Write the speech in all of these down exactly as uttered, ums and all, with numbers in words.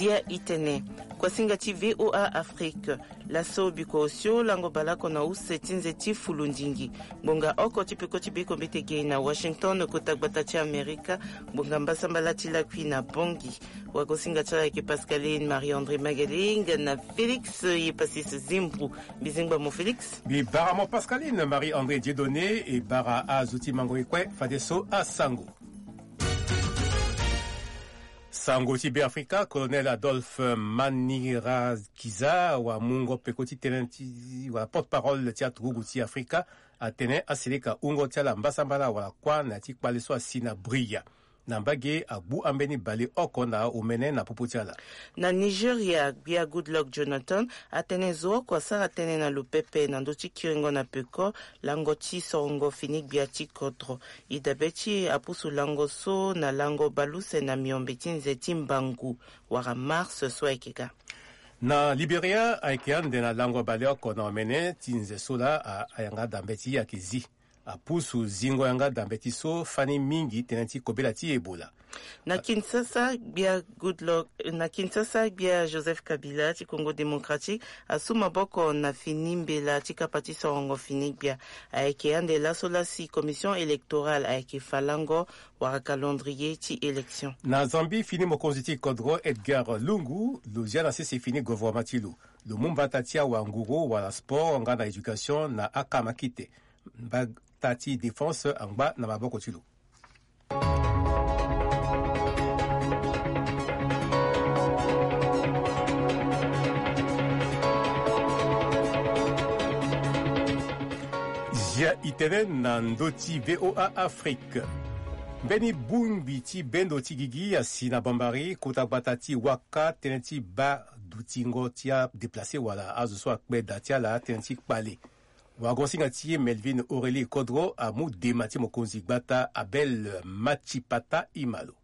Ya itene, kuasinga ti V O A Afrique. Laso biko osio lango baleoko na use ti nze ti fulundingi. Ngbonga oko ti peko ti beko mbete ge na Washington, kota gbata ti Amerika. Ngbonga mbasambala ti lakui na Bongi. Wagosinga ti ala ayeke Pascaline Marie André Magaling na Félix Yepasis Zimbru. Mbizingba mo Félix. Mbi bara mo Pascaline Marie André Dieudonné e bara azo ti mango e kue fadeso asango. Sango ti Beafrika, Colonel Adolphe Manirakiza, wa mungo peko ti tënë ti, wa porte-parole ti aturugu ti Afrika, atene asilika wungo ti ala mbasambala wala kuâ na ya ti kpale so asi na Bria. Na mbage agbu ambeni baleoko na omene na popo ti ala. Na Nigeria, gbia Goodluck Jonathan atene zo oko asara tënë na lo pepe na ndö ti kiringo na peko lango ti sorongo fini gbia ti kodro. E dabe ti e apusu lango so na lango baleuse na miombe ti nze ti mbangu wala mars so ayeke ga. Na Liberia ayeke ande na lango baleoko na omene ti nze so laa, a, ayanga dambe ti e ayeke zi. Apusu zingo yanga dambe ti so fani mingi tënë ti kobela ti Ebola. Na Kinshasa, gbia Goodluck, na Kinshasa, gbia Joseph Kabila ti Congo Démocratique asu maboko na fini mbela ti kapa ti sorongo fini gbia. Ayeke ande laso laa si commission électorale ayeke fa lango wala calendrier ti élection. Na Zambie, fini mokonzi ti kodro Edgar Lungu lo zia na sese fini gouvernement ti lo. Lo mu mbata ti awanguru wala sport nga na éducation na akamakite. Mbata ti défense angba na maboko ti lo. Zia itene na ndö ti V O A Afrique. Mbeni bongbi ti bendo ti gigi asi na Bambari, kota gbata ti Waka, tënë ti baa dutingo ti adéplacé wala azo so akpe da ti ala tënë ti kpale. Wagosinga ti e Melvin Aurélie Kodro amu dema ti mokonzi gbata Abel Matchipata Imalo.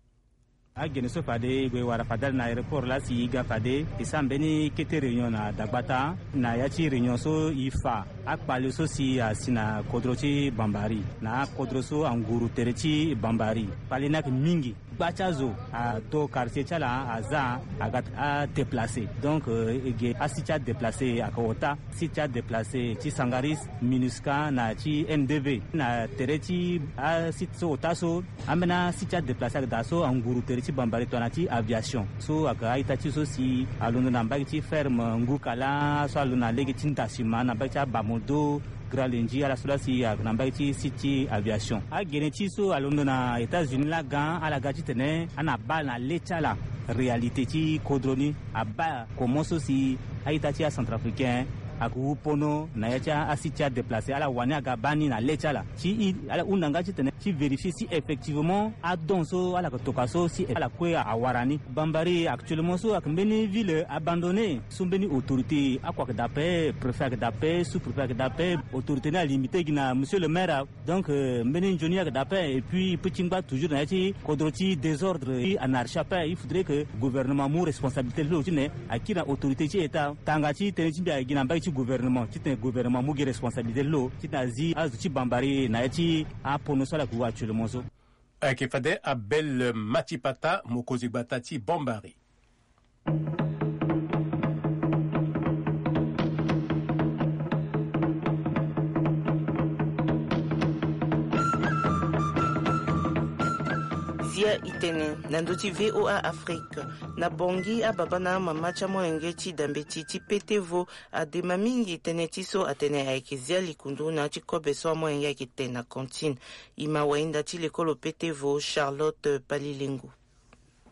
Agene so fade e gue wara fade ala na aéroport laa si e ga fade e sara mbeni kete réunion na dagbata na ya ti réunion so e fa akpale so si asi na kodro ti Bambari na akodro so anguru tere ti Bambari. Kpale ni ayeke mingi. Gba ti azo ato quartier ti ala aza aga adéplacé. Donc, euh, e ge asite ti adéplacé ayeke ota. Site ti adéplacé ti Sangaris, Minusca na ti N D V. Na tere ti asite so ota so, ambeni asite ti adéplacé ayeke daa so anguru tere ti Bambari tongana ti aviation. So ayeke a-ita ti so si alondo na mbage ti ferme Ngukala, so alondo na lege ti Ndasima na mbage ti Abamodo, Grand Lenji, ala so laa si ayeke na mbage ti site ti aviation. Agene ti so alondo na États-Unis laa ga, ala ga titene ana baa na le ti ala réalité ti kodro ni, abaa comment so si a-ita ti acentrafricain ayeke wu pono na ya ti asite ti adéplacé, ala wani aga baa ni na le ti ala. Ti e, ala hunda nga titene ti vérifier si effectivement adon so ala yeke toka so si ala kue awara ni. Bambari actuellement so ayeke mbeni ville abandonné. So mbeni autorité oko ayeke daa ape, préfet ayeke daa ape, sous-préfet ayeke daa ape, autorité ni alimité gi na monsieur le maire. Donc, euh, mbeni nzoni ayeke daa ape, et puis e peut ti ngba toujours na ya ti kodro ti désordre ti anarchie ape. Il faudrait que gouvernement amu responsabilité ti lo titene akiri na autorité ti état. Tanga ti tënë ti mbi ayeke gi na mbage ti gouvernement titene gouvernement amu gi responsabilité ti lo titene azi azo ti Bambari na ya ti apono so ala yeke wu actuellement so. Ayeke fade Abel Matipata, mokonzi gbata ti Bambari. Zia itene na ndö ti V O A Afrique. Na Bongi, ababa na amama ti amolenge ti dambe ti ti Petevo adema mingi tënë ti so atene ayeke zia likundu na ya ti kobe so amolenge ayeke te na cantine. E ma wahinda ti lekolo Petevo, Charlotte Palilengo.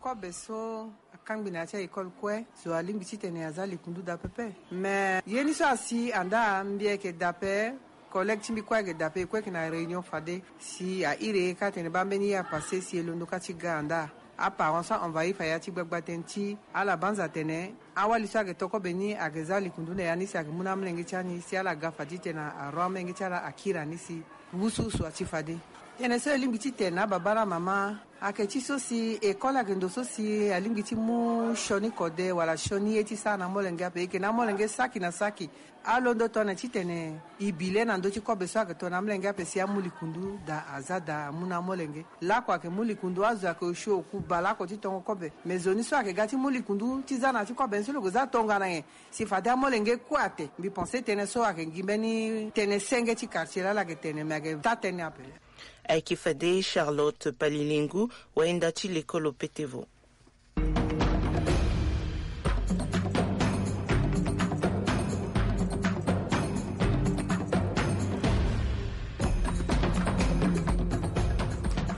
Kobe so akangbi na ya ti a-école kue, zo alingbi titene aza likundu daa pepe. Me ye ni so asi andaa, mbi ayeke daa ape, collègue ti mbi kue ayeke daa ape, e kue ayeke na réunion fade. Si a iri e kâ atene baa mbeni ye apassé si e londo kâ ti ga andaa. Aparent so a-envahir fa ya ti gbagba tënë ti ala banza atene awali so ayeke to kobe ni ayeke za likundu na ya ni si ayeke mu na amolenge ti ani si ala ga fa titene aron amolenge ti ala akiri ani si wusuwusu ati fade. Tënë so e lingbi ti tene na baba na mama ayeke ti so si école ayeke ndo so si alingbi ti mu sioni kode wala sioni ye ti sara na amolenge ape. E yeke na amolenge saki na saki alondo tongana ti tene e bi le na ndö ti kobe so ayeke tongana amolenge ape si amu likundu daa aza daa amu na amolenge. Lakue ayeke mu likundu, azo ayeke osio oku baleoko ti tongo kobe. Me zo ni so ayeke ga ti mu likundu ti za na ya ti kobe ni so lo yeke za tongana nyen? Si fade amolenge kue ate. Mbi pense tënë so ayeke gi mbeni tënë senge ti quartier laa ala yeke tene me ayeke taa tënë ape. Ayeke fade Charlotte Palilingu, wayenda ti lekolo petevo.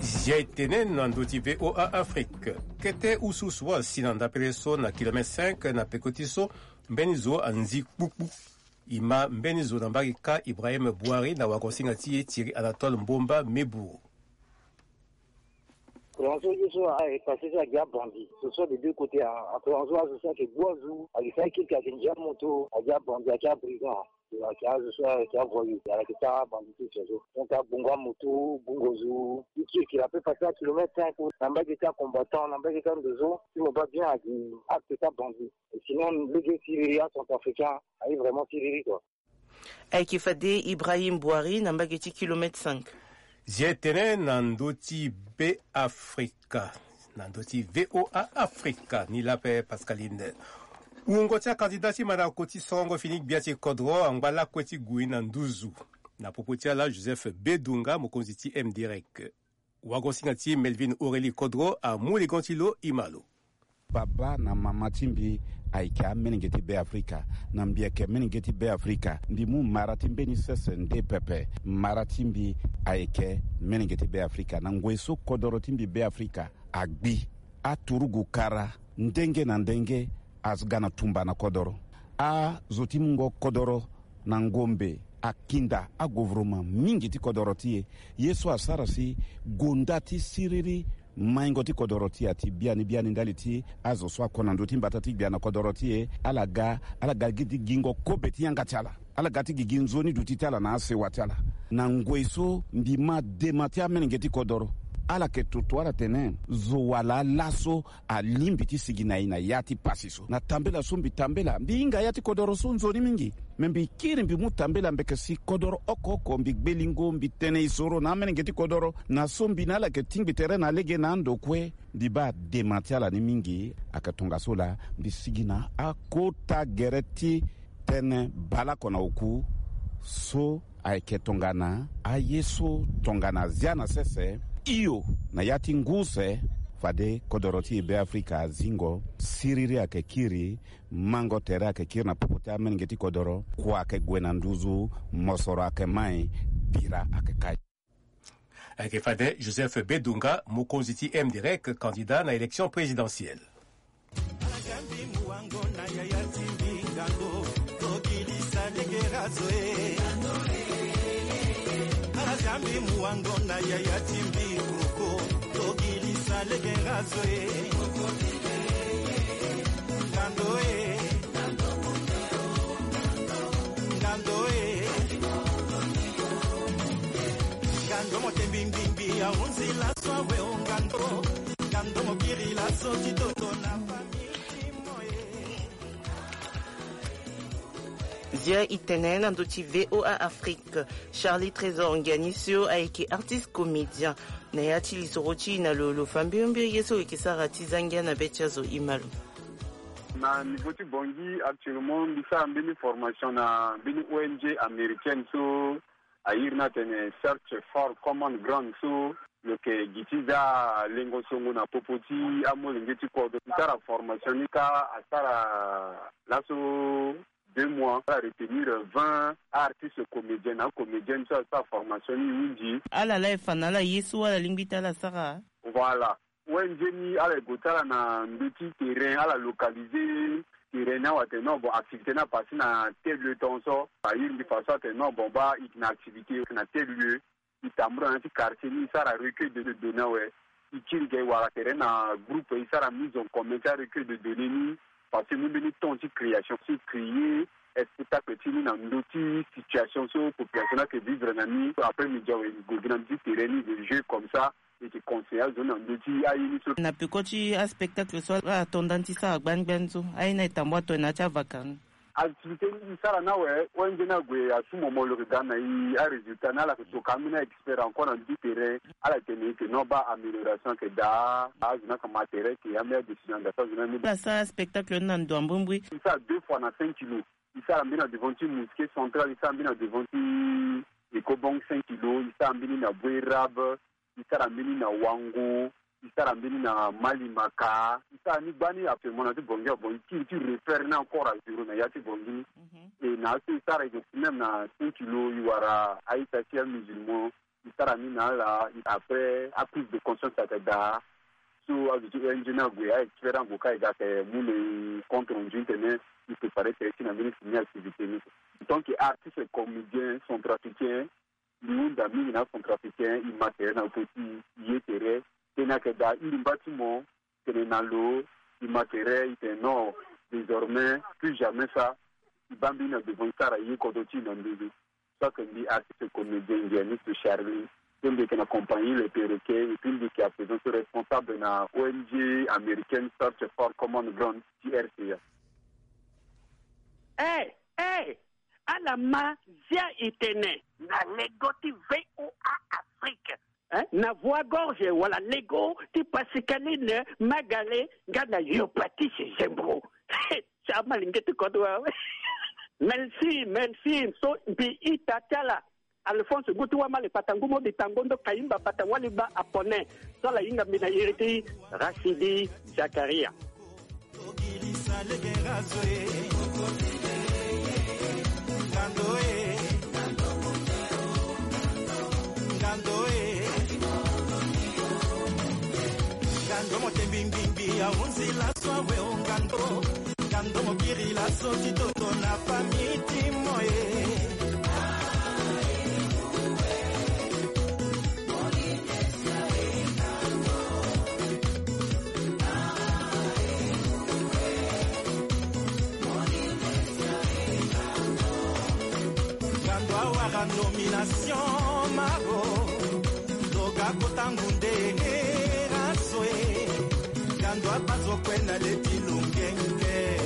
Zia e tene na ndö ti VOA Afrique. Kete ususu asi na ndapele so na kilomètre cinq na peko ti so mbeni zo anzi kpukpu. E ma mbeni zo na mbage kâ Ibrahim Bouhari na wagosinga ti e Thierry Anatole Mbomba Meburu. Courant so ye so a e passé so agi abandi so so de deux côtés a courant so azo so ayeke gbu azo agi sa ekeke ayeke ndia moto agi abandi agi abrigand. Ayeke azo so ayeke avoyou ayeke sara abandi ti so so donc agbongo amoto gbongo zo ti kirikiri ape passé na kilomètre cinq na mbage ti acombattant na mbage ti ando so ti mo baa bien agi acte ti abandi. Sinon lege siriri acentrafricain aye vraiment siriri quoi. Ayeke fade Ibrahim Bouhari na mbage ti kilomètre cinq. Zia e tene na ndö ti Be Afrika na ndö ti VOA Afrika ni laa ape Pascaline. Wungo ti akandida ti mandako ti sorongo fini gbia ti kodro angba lakue ti gue na nduzu. Na popo ti ala Joseph Bedunga mokonzi ti MDREC. Wagosinga ti Melvin Aurélie Kodro amu ligon ti lo e ma lo. Baba na mama ti mbi ayeke amolenge ti Be Afrika. Na mbi yeke molenge ti Be Afrika. Mbi mu mara ti mbeni sese nde pepe. Mara ti mbi ayeke molenge ti Be Afrika. Na ngoi so kodoro ti mbi Be Afrika agbi, aturugu kara ndenge na ndenge aga na tumba na kodoro. Azo ti mungo kodoro na ngombe akinda agovoroma mingi ti kodoro ti e. Ye so asara si gonda ti siriri maingo ti kodoro ti e ati biani biani ndali ti azo so ako na ndö ti mbata ti gbia na kodoro ti e ala ga ala ga gi ti gingo kobe ti yanga ti ala. Ala ga ti gigi nzoni duti ti ala na asewa ti ala. Na ngoi so mbi ma dema ti amolenge ti kodoro ala yeke toto ala tene zo wala laso alingbi ti sigi na e na ya ti pasi so. Na tambela so mbi tambela mbi hinga ya ti kodoro so nzoni mingi. Me mbi kiri mbi mu tambela mbi yeke si kodoro oko oko mbi gbe lingo mbi tene e soro na amolenge ti kodoro na so mbi na ala yeke tingbi tere na lege na ando kue. Mbi baa dema ti ala ni mingi. Ayeke tongaso laa mbi sigi na akota gere ti tënë baleoko na oku so ayeke tongana aye so tongana azia na sese. Hio na ya ti ngu use fade kodoro ti e Be Afrika azingo siriri ayeke kiri. Mango tere ayeke kiri na popo ti amolenge ti kodoro kua ayeke gue na nduzu. Mosoro ayeke mai bira ayeke kai. Ayeke fade Joseph Bedunga mokonzi ti MDREC candidat na élection présidentielle. Ala jambi muwango na yaya ti mbi ngando tokilisa legerazo e. Ala jambi muwango na yaya ti mbi koko tokilisa legerazo e. Ngando e. Ngando e. Ngando motembi mbimbi ahunzi laso awe o ngando. Ngando mokiri laso ti toto na famille mo e. Zia e tene na ndö ti VOA Afrique. Charlie Trésor Ngiani so ayeke artiste comédien. Na ya ti lisoro ti e na lo lo fa mbiombi ye so lo yeke sara ti za ngia na be ti azo e ma lo. Na niveau ti Bangui actuellement mbi sara mbeni formation na mbeni ONG américaine so a iri ni atene Search for Common Ground so lo yeke gi ti za lengo songo na popo ti amolenge ti kodro. Mbi sara formation ni kâ asara laso deux mois. Ala retenir vingt artistes comédiens na acomédienne so asara formation ni e hunzi. Ala laa e fa na ala ye so ala lingbi ti ala sara. Voilà. ONG ni ala ye gue ti ala na ndö ti terrain ala localiser terrain ni awe atene non bon activité ni apassé na tel lieu tongaso. A iri mbi fa so atene non bon baa e yeke na activité na tel lieu. E tambula na ya ti quartier ni e sara recueil de données awe. E kiri ge e wara tere na groupe e sara mise en commun ti arecueil de données ni. Parce que mu mbeni temps ti création ti créer spectacle ti ni na ndö ti situation so population ni ayeke vivre na ni. Après midi awe, gue gi na ndö ti terrain ni, gue jeu comme ça, e yeke conseiller azo ni na ndö ti aye ni so. Na peko ti aspectacle so ala to nda ni ti sara gbani gbani so, aye ni aye tambo ato na ya ti avakar ni. Activité ni e sara ni awe, O N G ni ague asu momolo, e ga na e arésultat ni, ala yeke toka ambeni a-expert encore na ndö ti terrain. Ala tene e yeke non, baa amélioration ayeke daa, azo ni ayeke ma terrain, e yeke ya mbeni adécision anda so azo ni amu. Ala sara spectacle ni na ndo ambrimbri. E sara deux fois na cinq kilos. E sara mbeni na devant ti mosquée centrale, e sara mbeni na devant ti Ecobank cinq kilos, e sara mbeni na Bois Rabe, e sara mbeni na Wango, e sara mbeni na Malimaka. E sara ni gbani actuellement na ti Bangui. Bon, e kiri ti refaire ni encore à zéro na ya ti Bangui ni. Mhm. E na aso e sara, e yeke même na cinq kilos, e wara a-ita ti amusulman. E sara ni na ala, après aprise de conscience ayeke daa. So azo ti O N G ni ague, a-expert ni ague ka, e ga ayeke mu na e compte rendu ti tene e préparer terrain ti e na mbeni fini activité ni. En tant que artiste comédien centrafricain, mbi hunda mingi na acentrafricain, e ma terrain na poto ti e, e ye terrain. Tënë ayeke daa, e iri mba ti mo, tene na lo, e ma terrain, e tene non, désormais plus jamais ça. E baa mbeni na devant, e sara e ye kodro ti e na ndö ni. So ayeke mbi artiste comédien, ngianiste Charlie, so mbi yeke na compagnie Les Perroquets, et puis mbi yeke à présent so responsable na O N G américaine Search for Common Ground ti R C A. Eh, eh, ala ma zia e tene na lego ti V O A Afrique, hein? Na voix gorge wala lego ti Pascaline Magale nga na Yopatise Zembo. Sa ma linge ti kodro awe. Merci, merci. So mbi ita ti ala Alphonse Gutu Wamale Patangu Mobi Tangondo Kayimba Bata Waliba Apone. So ala hinga mbi na iri ti Rachidi Zakaria. Ngando e. Ngando e. Ngando mo te mbi mbi mbi ahunzi laso awe o ngando. Ngando mo kiri laso ti toto na famille ti mo e. Ngando awara nomination maro. Ndoga kota ngunde hera so e. Ngando abazo kue na le ti lungenge.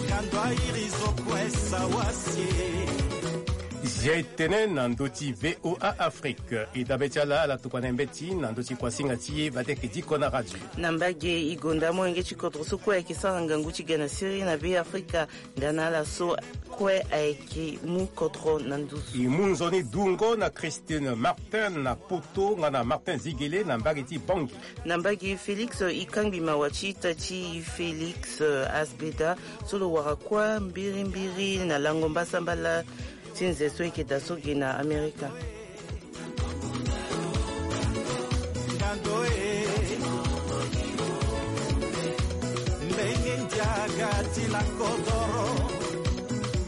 Ngando airi zo kue sawasi e. Zia e tene na ndö ti V O A Afrique. E dabe ti ala, ala tokua na e mbeti na ndö ti kuasinga ti e, bate yeke diko na radio. Na mbage e gonda molenge ti kodro so kue ayeke sara ngangu ti ga na siriri na Be Afrika. Nga na ala so kue ayeke mu kodro na nduzu. E mu nzoni dungo na Christine Martin na Poto, nga na Martin Zigele na mbage ti Bangui. Na mbage Félix, e kangbi mawa ti ita ti Félix, eh, Asbeda, so lo wara kuâ mbirimbiri na lango mbasambala ti nze so e yeke daa so ge na Amerika. Ngando e. Mbenge ndiaga ti la kodoro.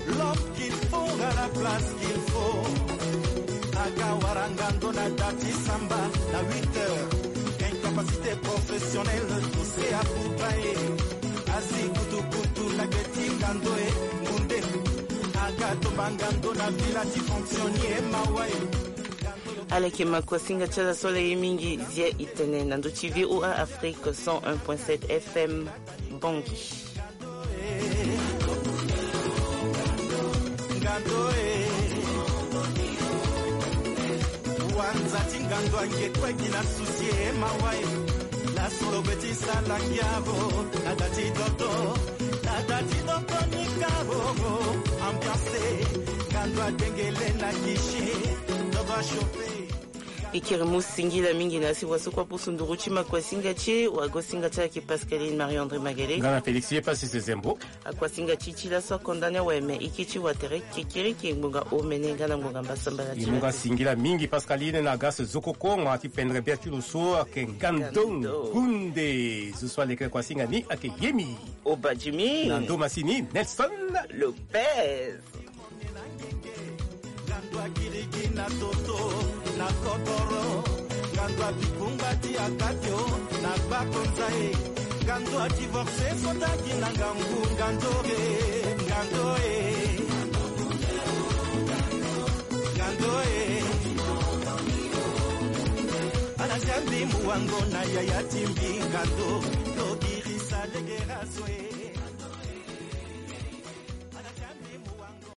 L'homme qu'il faut à la place qu'il faut. Aga wara ngando na da ti samba na huit heures. Incapacité professionnelle, poussé à bout e. Azi kutukutu na gbe ti ngando e, ngunde. Aga tomba ngando na villa ti fonctionnier mawa e. Ala yeke ma kuasinga ti ala so ala ye mingi, zia e tene na ndö ti V O A Afrique cent un point sept F M Bangui. Ngando e. Wanza ti ngando ange kue gi na susi e mawa e. Laso lo be ti sala ngiaro na da ti dodo, na da ti dodo ni karo. Ambiance, ngando adengele na guichet, dodo achauffe. E kiri mu singila mingi na asi wa so kue apusu nduru ti ma kuasinga ti e, wa gosinga ti ala yeke Pascaline Marie André Magele. Nga na Félix ye pasi se zembo. Akuasinga ti e ti laso akonda ni awe, me e ke ti wa tere kekereke ngbonga omene nga na ngbonga mbasambala ti e. Mu nga singila mingi Pascaline na Gas Zokoko, ngbanga ti pendre bia ti lo so ayeke Ngando Ngunde. Zo so aleke kuasinga ni ayeke Yemi Obadjimi na ndo masini Nelson Lopez. Ngando akiriki na toto na kotoro. Ngando abikunga ti akate o na gbakonza e. Ngando adivorce so taki na ngangu ngando re. Ngando e. Ngando e. Ana jambi muwango na yaya timbi ngando. Tobirisa legera so e.